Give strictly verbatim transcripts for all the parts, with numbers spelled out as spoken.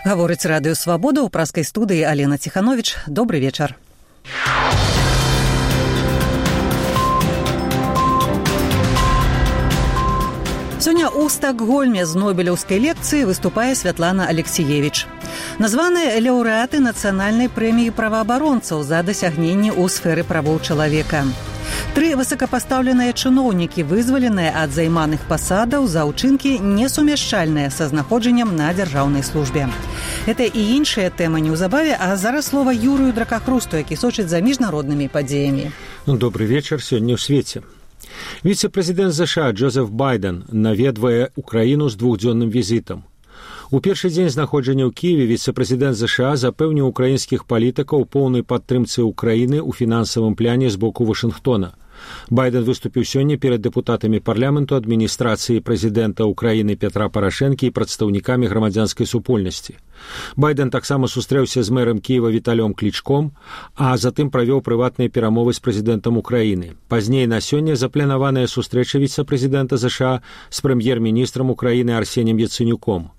Гаворыць радыё «Свабода», у праскай студыі Алена Ціхановіч. Добры вечар. Сёння ў Стакгольме з нобелеўскай лекцыі выступае Святлана Алексіевіч. Названыя лаўрэаты нацыянальнай прэміі праваабаронцаў за дасягненні ў сферы правоў чалавека. Тры высокапастаўленыя чыноўнікі вызваленыя ад займаных пасадаў за ўчынкі несумяшчальныя са знаходжаннем на дзяржаўнай службе. Гэта і іншыя тэмы неўзабаве, а зараз слова Юрыю Дракахрусту, які сочыць за міжнароднымі падзеямі. Добры вечар сёння ў свеце. Віцэ-прэзідэнт ЗША Джозеф Байден наведвае Украіну з двухдзённым візітам. У першы дзень знаходжання ў Кіеве віцэ-прэзідэнт ЗША запэўніў украінскіх палітыкаў поўнай падтрымцы Украіны ў фінансавым пляне з боку Вашынгтона. Байден выступіў сёння перад дэпутатамі парламенту, адміністрацыі прэзідэнта Украіны Петра Парашэнкі і прадстаўнікамі грамадзянскай супольнасці. Байден таксама сустрэўся з мэрам Кіева Віталём Клічком, а затым правёў прыватныя перамовы з прэзідэнтам Украіны. Пазней на сёння запланаваная сустрэча віцэ-прэзідэнта ЗША з прэм'ер-міністрам Украіны Арсенем Яцэнюком.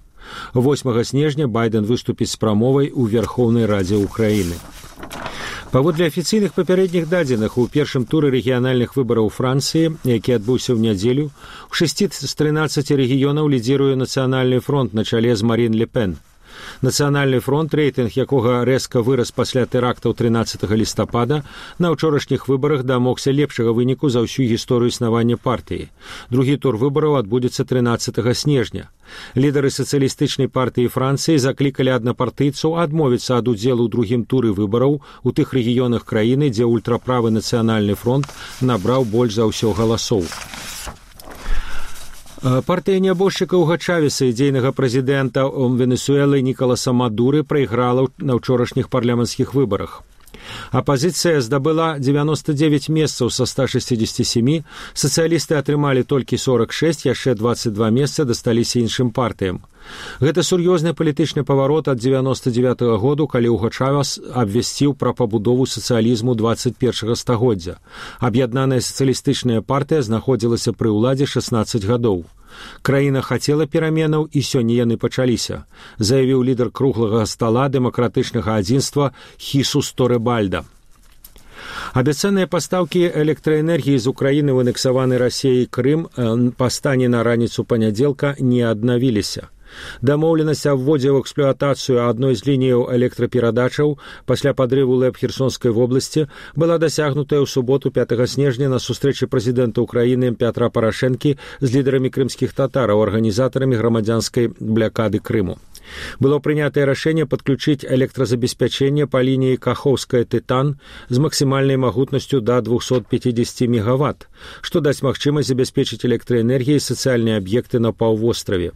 восьмага снежня Байден выступіць з прамовай у Верхоўнай Радзе Украіны. Паводле афіцыйных папярэдніх дадзеных, у першым туры рэгіянальных выбараў Францыі, які адбыўся ў нядзелю, у шасці з трынаццаці рэгіёнаў лідзіруе Нацыянальны фронт на чале з Марін Ле Пен. Нацыянальны фронт, рэйтынг якога рэзка вырас пасля тэрактаў трынаццатага лістапада, на ўчорашніх выбарах дамогся лепшага выніку за ўсю гісторыю існавання партыі. Другі тур выбараў адбудзецца трынаццатага снежня. Лідары сацыялістычнай партыі Францыі заклікалі аднапартыйцаў адмовіцца ад удзелу ў другім туры выбараў у тых рэгіёнах краіны, дзе ультраправы Нацыянальны фронт набраў больш за ўсё галасоў. Партыя нябожчыкаў Чавеса, ідзейнага прэзідэнта Венесуэлы Нікаласа Мадуры, прайграла на ўчорашніх парламенцкіх выбарах. Апазіцыя здабыла дзевяноста дзевяць месцаў са ста шэсцідзесяці сямі, сацыялісты атрымалі толькі сорак шэсць, яшчэ дваццаць два месца дасталіся іншым партыям. Гэта сур'ёзны палітычны паварот ад дзевяноста дзевятага году, калі Уго Чавес абвясціў пра пабудову сацыялізму дваццаць першага стагоддзя. Аб'яднаная сацыялістычная партыя знаходзілася пры ўладзе шаснаццаць гадоў. Краіна хацела пераменаў, і сёння яны пачаліся, заявіў лідар круглага стала дэмакратычнага адзінства Хісус Торебальда. Абяцаныя пастаўкі электраэнергіі з Украіны ў анексаваны Расіяй Крым па стане на раніцу панядзелка не аднавіліся. Дамоўленасць аб вводзе ў эксплуатацыю адной з лініяў электраперадачаў пасля падрыву ЛЭП Херсонскай вобласці была дасягнутая ў суботу пятага снежня на сустрэчы прэзідэнта Украіны Пятра Парашэнкі з лідарамі крымскіх татараў, арганізатарамі грамадзянскай блякады Крыму. Было прынятае рашэнне падключыць электразабеспячэнне па лініі Кахоўская-Тытан з максімальнай магутнасцю да двухсот пяцідзесяці мегаватт, што дасць магчымасць забяспечыць электраэнергіяй сацыяльныя аб'екты на паўвостраве.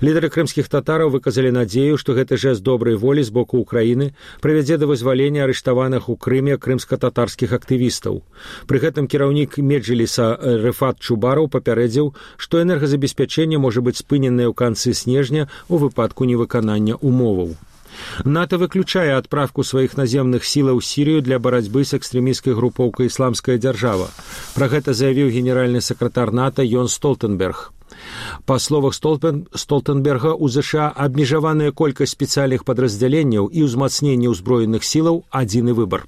Лідары крымскіх татараў выказалі надзею, што гэты жэст добрай волі з боку Украіны прывядзе да вызвалення арыштаваных у Крыме крымска-татарскіх актывістаў. Пры гэтым кіраўнік Меджліса Рэфат Чубараў папярэдзіў, што энергазабеспячэнне можа быць спыненае ў канцы снежня у выпадку невыканання умоваў. НАТО выключае адправку сваіх наземных сілаў у Сірыю для барацьбы з экстрэмісцкай групоўкай «Ісламская дзяржава». Пра гэта заявіў генеральны сакратар НАТО Йон Столтенберг. Па словах Столтенберга, у ЗША абмежаваная колькасць спецыяльных падраздзяленняў і ўзмацненне ўзброеных сілаў – адзіны выбар.